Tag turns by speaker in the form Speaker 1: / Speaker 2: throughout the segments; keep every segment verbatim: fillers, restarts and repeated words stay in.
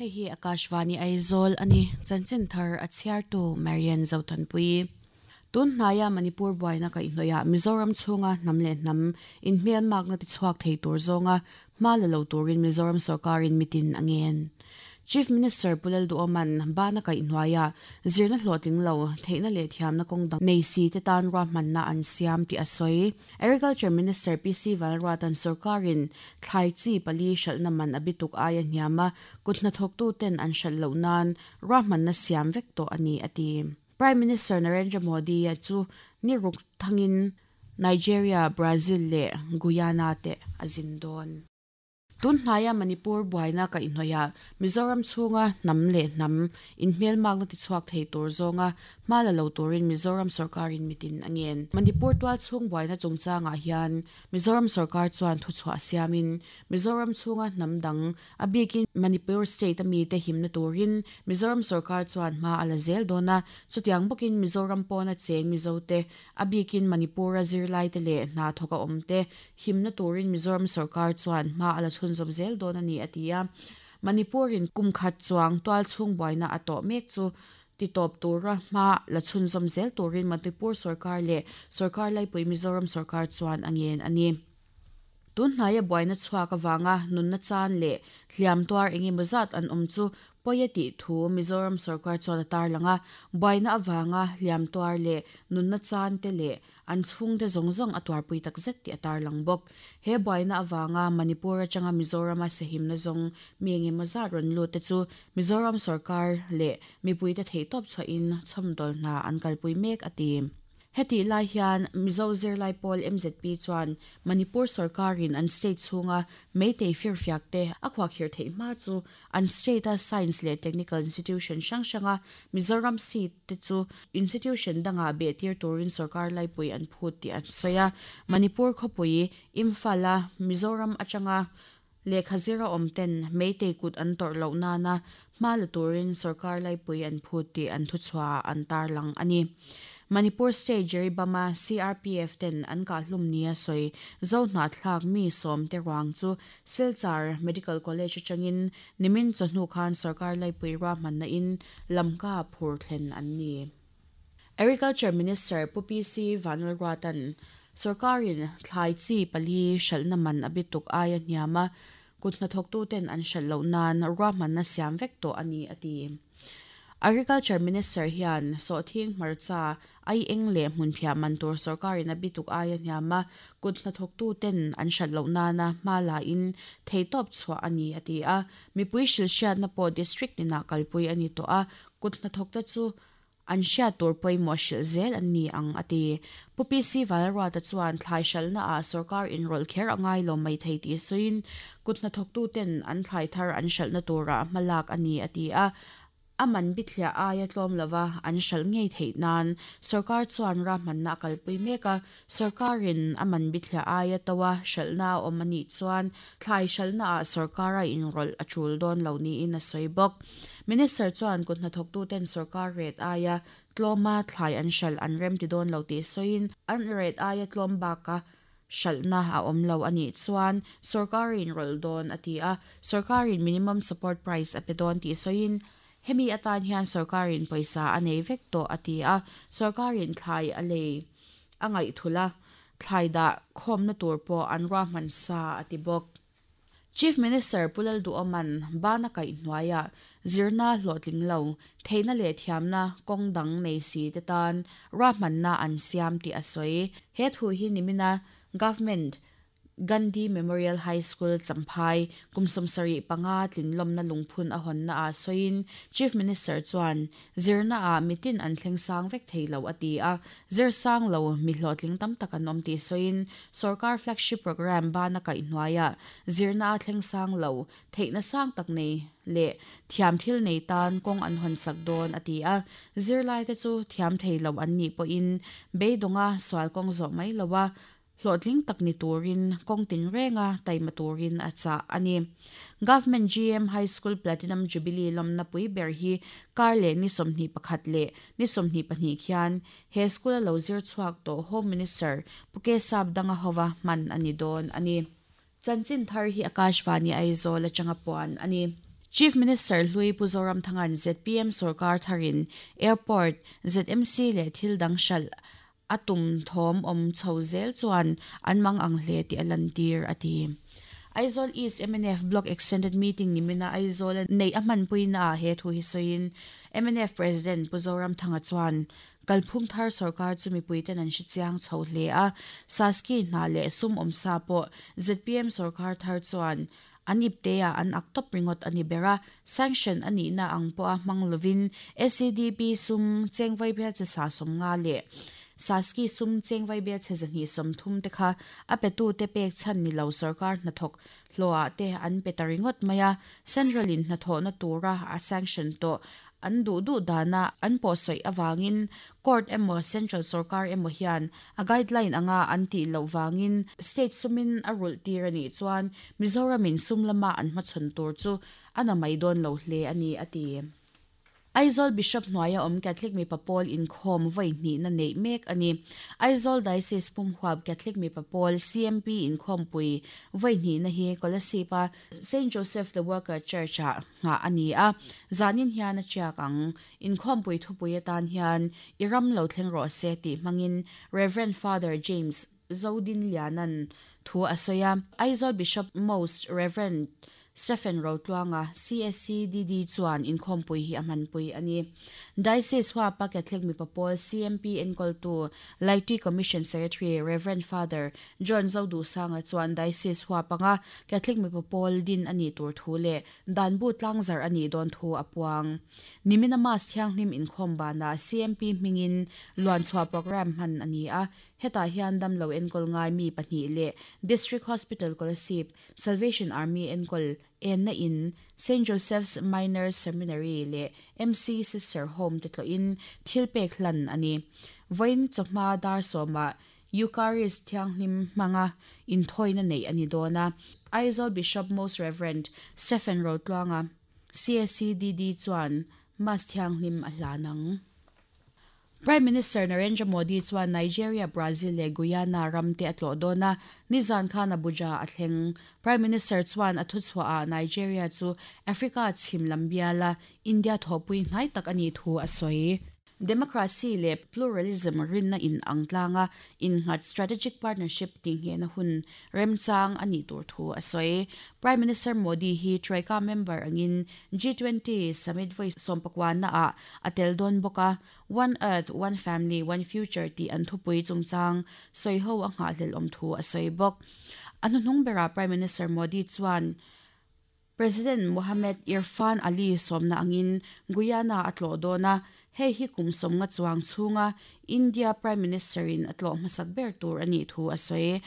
Speaker 1: Hei hi Akashvani Aizawl ani chanchin thar a chhiartu Marian Zothanpui. Tun hnaiah Manipur buaina kaihhnawih Mizoram chhunga hnam leh hnam inhmel makna ti chhuak thei tur zawnga hma la lo turin Mizoram sawrkarin mitin a ngen. Chief Minister Pu Lalduhoma'n bana kaihhnuaiah zirna hlawhtling lo theihna leh thiamna kawng dang nei si te tan ruahmanna an siam tih a sawi. Agriculture Minister P C Vanruata'n sawrkarin thlai chi pali hralhna man a bituk aia hniam a kut hnathawktu ten an hralh loh nan ruahmanna siam vek tawh a ni a ti. Prime Minister Narendra Modi a chu ni ruk thangin Nigeria, Brazil leh Guyana te a zin dawn. Tun hnaiah Manipur buaina kaihhnawih Mizoram chhunga hnam leh hnam inhmel makna ti chhuak thei tur zawnga hma la lo turin Mizoram sawrkarin mitin a ngen. Manipur tual chhung buaina chungchangah hian Mizoram sawrkar chuan thuchhuah siamin Mizoram chhunga hnam dang a bikin Manipur state a mi te himna turin Mizoram sawrkar chuan hma a la zel dawn a chutiang bawkin Mizoram pawna cheng Mizo te a bikin Manipur a zirlai te leh hna thawk a awm te himna turin Mizoram sawrkar chuan hma a la chhun zom zel dawn a ni a ti a. Manipurin kum khat chuang tual chhung buaina a tawh mek chu ti tawp tura hma la chhun zom zel turin Manipur sawrkar leh sawrkar laipui Mizoram sawrkar chuan a ngen a ni. Tun hnaiah buaina chhuak awanga nunna chan leh hliam tuar engemaw zat an awm chu pawi a tih thu Mizoram sawrkar chuan a tarlang a buaina awanga hliam tuar leh nunna chan te leh an chhung te zawng zawng a tuarpui tak zet tih a tarlang bawk. He buaina awanga Manipur atanga Mizoram a sehimna zawng mi engemaw zat rawn lut te chu Mizoram sawrkar leh mipui te thei tawp chhuahin chhawmdawl hna an kalpui mek a ti. Heti lai hian Mizo zirlai pawl M Z P chuan Manipur sawrkarin an state chhunga meitei firfiak te a khuakhir theih hma chu an state a science leh technical institution hrang hranga Mizoram seat te chu institution danga beh tir turin sawrkar laipui an phut tih an sawi a. Manipur khawpui Imphal a Mizoram atanga lehkha zira awm ten meitei kut an tawrh loh nana hma la turin sawrkar laipui an phut tih an thuchhuah an tarlang a ni. Manipur State Jeribama C R P F ten an kahlum nia sawi zo hna thlak mi som te ruang chu Silchar Medical College atangin nimin chawhnu khan sawrkar laipui ruahmanna in lamka phur thlen an ni. Agriculture Minister Pu P C Vanlalruata'n sawrkarin thlai chi pali hralhna man a bituk aia hniam a kut hnathawktu ten an hralh loh nan ruahmanna siam vek tawh a ni a ti. Agriculture Minister hian sawhthing hmarcha ai eng leh hmun phiah man tur sawrkarin a bituk aia hniam a kut hnathawktu ten an hralh loh nana hma la in thei tawp chhuah a ni a ti a. Mipui hrilhhriatna pawh district tinah kalpui a ni tawh a kut hnathawkte chu an hriat tur pawimawh hrilh zel an ni ang a ti. Pu P C Vanlalruata chuan thlai hralhna ah sawrkar inrawlh kher a ngai lo mai thei tih sawiin kut hnathawktu ten an thlai thar an hralhna turah hma lak a ni a ti a. A man bithliah aia tlawm lova an hralh ngei theih nan sawrkar chuan ruahmanna a kalpui mek a sawrkarin a man bithliah aia tawa hralhna a awm a nih chuan thlai hralhna ah sawrkar a inrawlh a tul dawn lo niin a sawi bawk. Minister chuan kut hnathawktu ten sawrkar ret aia tlawma thlai an hralh an rem ti dawn lo tih sawiin an ret aia tlawm baka hralhna a awm lo a nih chuan sawrkarin rawlh dawn a ti a sawrkarin minimum support price a pe dawn tih sawiin hemi atan hian sawrkarin pawisa a nei vek tawh a ti a sawrkarin thlai a lei a ngaih thula thlai dah khawmna tur pawh an ruahman sa a ti bawk. Chief Minister Pu Lalduhoma'n bana kaihhnuaiah zirna hlawhtling lo theihna leh thiamna kawng dang nei si te tan ruahmanna an siam tih a sawi. He thu hi nimina Government Gandhi Memorial High School Champhai kumsawm sarih panga tlinlawmna lungphun a hawnna ah sawiin Chief Minister chuan zirna ah mitin an thleng sang vek thei lo a ti a zir sang lo mi hlawhtling tam tak an awm tih sawiin sawrkar flagship program bana kaihhnuaiah zirna a thleng sang lo theihna sang tak nei leh thiam thil nei tan kawng an hawn sak dawn a ti a zirlai te chu thiam thei lo an nih pawhin beidawnga sual kawng zawh mai lo a hlawhtling tak ni turin kawng tin renga taima turin a chah a ni. Government G M High School Platinum Jubilee lawmna pui ber hi kar leh ni sawmhnih pakhat leh ni sawmhnih pahnih khian he school a lo zir chhuak tawh Home Minister Pu K Sap danga hova hman a ni dawn a ni. Chanchin thar hi Akashvani Aizawl atanga puan a ni. Chief Minister Hlui Pu Zoramthanga'n ZPM sorkar tharin Airport, ZMC leh thil dang hralh a tum thawm awm chho zel chuan an mang ang hle tih a lantir, a ti. Aizawl East MNF Block Extended Meeting nimina Aizawl nei a hmanpuina ah he thu hi sawiin MNF President Pu Zoramthanga chuan kalphung thar sorkar chu mipuiten an hre chiang chho hle a, Saski hna leh sum awmsa pawh ZPM sorkar thar chuan an ipte ah an ak tawp ringawt a ni ber a, sanction a nihna ang pawha hmang lovin SEDP sum chengvai bel che sa sawm nga leh Saski sum chengvai bel che zahnih sawm thum te kha a petu te pek chhan ni lo sorkar hnathawk hlawhah te an pe ta ringawt mai a, Central in hnathawhna tura a sanction tawh an duh duh dana an pawh sawi avangin court emaw Central sorkar emaw hian a guideline anga an tih loh vangin state sumin a rulh tir a nih chuan Mizoramin sum lama an hmachhawn tur chu a na mai dawn lo hle a ni, a ti. Aizawl Bishop hnuaia awm Catholic mipa pawl inkhawm vawi hnihna neih mek a ni. Aizawl Diocese pumhuap Catholic mipa pawl CMP inkhawmpui vawi hnihna hi Kolasib-a Saint Joseph the Worker Church-ah nghah a ni a, zanin hian a tiak ang. Inkhawmpui thupui atan hian I ram lo thleng rawh se tih hmangin Rev. Father James Zodinliana'n thu a sawi a. Aizawl Bishop Most Rev. Stephen Rotluanga, CSC DD chuan inkhawmpui hi a hmanpui a ni. Diocese huapa Catholic mipa pawl CMP enkawltu Laity Commission Secretary Rev. Father John Zodusanga chuan Diocese huapanga Catholic mipa pawl din a nih tur thu leh danbu tlangzar a nih dawn thu a puang. Nimina Mass thianghlim inkhawm banah CMP hmingin luanchhuah program hman a ni a, hetah hian damlo enkawl ngai mi pahnih leh District Hospital Kolasib, Salvation Army enkawl enna in, Saint Joseph's Minor Seminary leh MC Sister Home te tlawhin thil pek hlan a ni. Vawiin chawhma dar sawmah Eucharist thianghlim hmanga inthawina neih a ni dawn a. Aizawl Bishop Most Rev. Stephen Rotluanga, CSC DD chuan Mass thianghlim a hlan ang. Prime Minister Narendra Modi chuan Nigeria, Brazil leh Guyana ram te a tlawh dawn a, nizan khan Abuja a thleng. Prime Minister chuan a thuchhuahah Nigeria chu Africa chhim lam biala India thawhpui hnai tak a nih thu a sawi. Democracy leh pluralism rinna in ang tlanga innghat strategic partnership tinghehna hun remchang a nih tur thu a sawi. Prime Minister Modi hi Troika member angin G twenty summit vawi sawmpakwana ah a tel dawn bawk a, One Earth, One Family, One Future tih an thupui chungchang sawi ho a nghahhlelh awm thu a sawi bawk. A hnuhnung berah Prime Minister Modi chuan President Mohamed Irfaan Ali sawmna angin Guyana a tlawh dawn a, hei hi kum sawmnga chuang chhunga India Prime Minister in a tlawh hmasak ber tur a nih thu a sawi.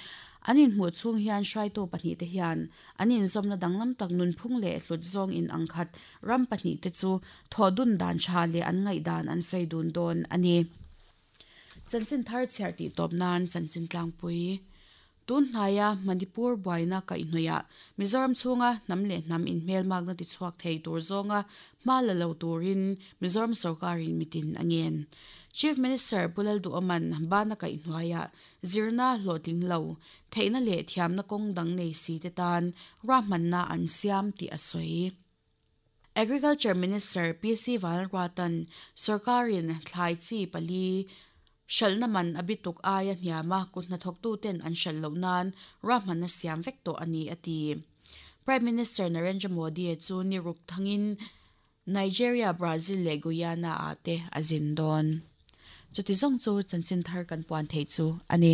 Speaker 1: An inhmuh chhung hian hruaitu pahnih te hian an inzawmna danglam tak nunphung leh hlut zawng in angkhat ram pahnih te chu thawh dun dan tha leh an ngaih dan an sawi dun dawn a ni. Chanchin thar chhiar tih tawp nan chanchin tlangpui. Tun hnaia Manipur buaina kaihhnawihah Mizoram chhunga hnam leh hnam inhmelmakna tichhuak thei tur zawnga hma la lo turin Mizoram sorkarin mitin a ngen. Chief Minister Pu Lalduhoma'n bana kaihhnuaiah zirna hlawhtling lo, theihna leh thiamna kawng dang nei si te tan ruahmanna an siam tih a sawi. Agriculture Minister PC Vanlalruata'n sorkarin thlai chi pali hralhna man a bituk aia hniama kut hnathawktuten an hralh loh nan ruahmanna siam vek tawh a ni, a ti. Prime Minister Narendra Modi chu ni ruk thangin Nigeria, Brazil leh Guyana ah te a zin dawn. Chuti zawng chu chanchin thar kan puan theih chu a ni.